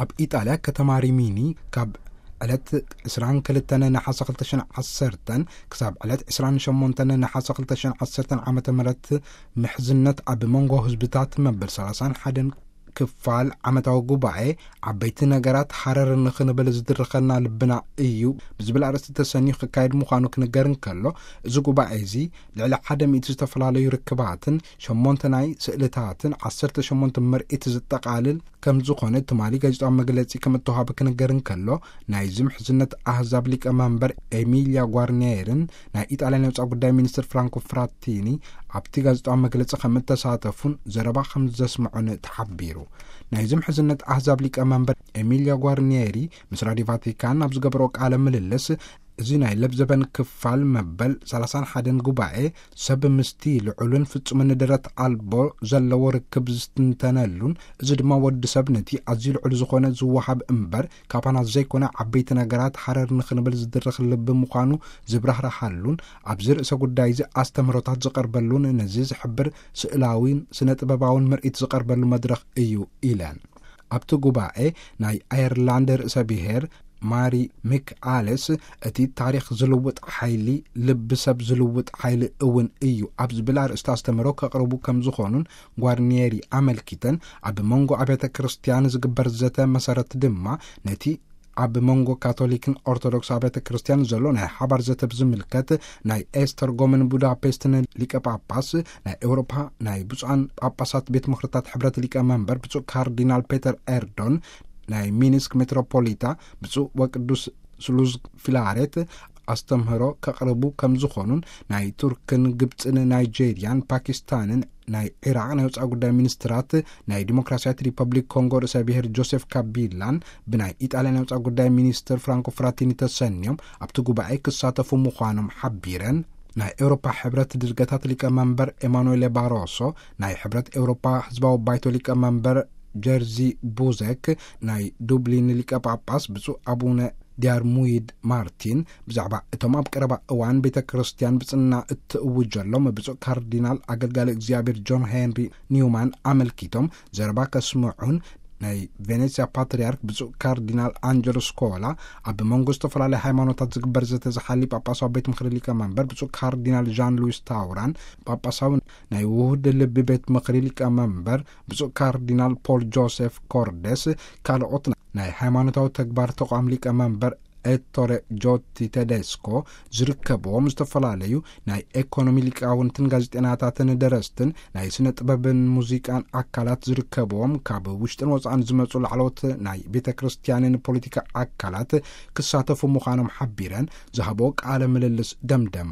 ኣብ ኢጣልያ ከተማ ሪሚኒ ካብ ዕለት ዕስራን ክልተን ነሓሰ ክልተ ሽሕን ዓሰርተን ክሳብ ዕለት ዕስራን ሸሞንተን ነሓሰ ክልተ ሽሕን ዓሰርተን ዓመተ ምህረት ምሕዝነት ኣብ መንጎ ህዝብታት መበል ሰላሳን ሓደን ክፋል ዓመታዊ ጉባኤ ዓበይቲ ነገራት ሓረር ንኽንብል ዝድርኸና ልብና እዩ ብዝብል ኣርእስቲ ተሰንዩ ክካየድ ምዃኑ ክንገር እንከሎ፣ እዚ ጉባኤ እዚ ልዕሊ ሓደ ሚእቲ ዝተፈላለዩ ርክባትን ሸሞንተ ናይ ስእልታትን ዓሰርተ ሸሞንተ ምርኢት ዝጠቓልል ከም ዝኾነ ትማሊ ጋዜጣዊ መግለጺ ከም እተዋህበ ክንገር እንከሎ፣ ናይዚ ምሕዝነት ኣህዛብ ሊቀ መንበር ኤሚልያ ጓርኒየርን ናይ ኢጣልያ ናይ ወጻኢ ጉዳይ ሚኒስትር ፍራንኮ ፍራቲኒ ኣብቲ ጋዜጣዊ መግለጺ ከም እተሳተፉን ዘረባ ከም ዘስምዑን ተሓቢሩ። ናይዚ ምሕዝነት ኣህዛብ ሊቀ መንበር ኤሚልያ ጓርኒየሪ ምስ ራዲዮ ቫቲካን ኣብ ዝገበሮ ቃለ ምልልስ፣ እዚ ናይ ለብዘበን ክፋል መበል ሰላሳን ሓደን ጉባኤ ሰብ ምስቲ ልዑልን ፍጹምን ደረት ኣልቦ ዘለዎ ርክብ ዝትንተነሉን፣ እዚ ድማ ወዲ ሰብ ነቲ ኣዝዩ ልዑል ዝኾነ ዝወሃብ እምበር ካባና ዘይኮነ ዓበይቲ ነገራት ሓረር ንኽንብል ዝድርኽ ልቢ ምዃኑ ዝብራህርሃሉን፣ ኣብዚ ርእሰ ጉዳይ እዚ ኣስተምህሮታት ዝቐርበሉን ነዚ ዝሕብር ስእላዊን ስነ ጥበባውን ምርኢት ዝቐርበሉ መድረኽ እዩ ኢለን። ኣብቲ ጉባኤ ናይ ኣየርላንድ ርእሰ ብሔር ማሪ ሚክ ኣለስ፣ እቲ ታሪኽ ዝልውጥ ሓይሊ ልቢ ሰብ ዝልውጥ ሓይሊ እውን እዩ ኣብ ዝብል ኣርእስቲ ኣስተምህሮ ከቕርቡ ከም ዝኾኑን ጓርኒየሪ ኣመልኪተን፣ ኣብ መንጎ ኣብያተ ክርስቲያን ዝግበር ዘተ መሰረት ድማ ነቲ ኣብ መንጎ ካቶሊክን ኦርቶዶክስ ኣብያተ ክርስቲያን ዘሎ ናይ ሓባር ዘተ ብዝምልከት ናይ ኤስተርጎምን ቡዳፔስትን ሊቀ ጳጳስ፣ ናይ ኤውሮፓ ናይ ብፁዓን ጳጳሳት ቤት ምኽርታት ሕብረት ሊቀ መንበር ብፁዕ ካርዲናል ፔተር ኤርዶን፣ ናይ ሚኒስክ ሜትሮፖሊታ ብፁዕ ወቅዱስ ስሉዝ ፊላሬት ኣስተምህሮ ከቕርቡ ከም ዝኾኑን፣ ናይ ቱርክን ግብፅን ናይጄርያን ፓኪስታንን ናይ ዒራቕ ናይ ወፃኢ ጉዳይ ሚኒስትራት፣ ናይ ዲሞክራሲያዊት ሪፐብሊክ ኮንጎ ርእሰ ብሔር ጆሴፍ ካቢላን ብናይ ኢጣልያ ናይ ወፃኢ ጉዳይ ሚኒስትር ፍራንኮ ፍራቲኒ ተሰንዮም ኣብቲ ጉባኤ ክሳተፉ ምዃኖም ሓቢረን። ናይ ኤውሮፓ ሕብረት ድርገታት ሊቀ መንበር ኤማኑኤል ባሮሶ፣ ናይ ሕብረት ኤውሮፓ ህዝባዊ ባይቶ ሊቀ መንበር ጀርዚ ቡዘክ፣ ናይ ዱብሊን ሊቀ ጳጳስ ብፁዕ ኣቡነ ዲያርሙይድ ማርቲን ብዛዕባ እቶም ኣብ ቀረባ እዋን ቤተ ክርስቲያን ብጽና እትእውጀሎም ብፁዕ ካርዲናል ኣገልጋሊ እግዚኣብሔር ጆን ሄንሪ ኒውማን ኣመልኪቶም ዘረባ ከስምዑን፣ ናይ ቬኔስያ ፓትርያርክ ብፁዕ ካርዲናል ኣንጀሎ ስኮላ፣ ኣብ መንጎ ዝተፈላለዩ ሃይማኖታት ዝግበር ዘተ ዝሓሊ ጳጳሳዊ ቤት ምኽሪ ሊቀ መንበር ብፁዕ ካርዲናል ዣን ሉዊስ ታውራን፣ ጳጳሳዊ ናይ ውሁድ ልቢ ቤት ምኽሪ ሊቀ መንበር ብፁዕ ካርዲናል ፖል ጆሴፍ ኮርዴስ፣ ካልኦት ናይ ሃይማኖታዊ ተግባር ተቋም ሊቀ መንበር ኤቶሬ ጆቲ ቴዴስኮ ዝርከብዎም፣ ዝተፈላለዩ ናይ ኤኮኖሚ ሊቃውንትን ጋዜጠናታትን ደረስትን ናይ ስነ ጥበብን ሙዚቃን ኣካላት ዝርከብዎም፣ ካብ ውሽጥን ወፃእን ዝመፁ ላዕለዎት ናይ ቤተ ክርስቲያንን ፖለቲካ ኣካላት ክሳተፉ ምዃኖም ሓቢረን ዝሃቦ ቃለ ምልልስ ደምደማ።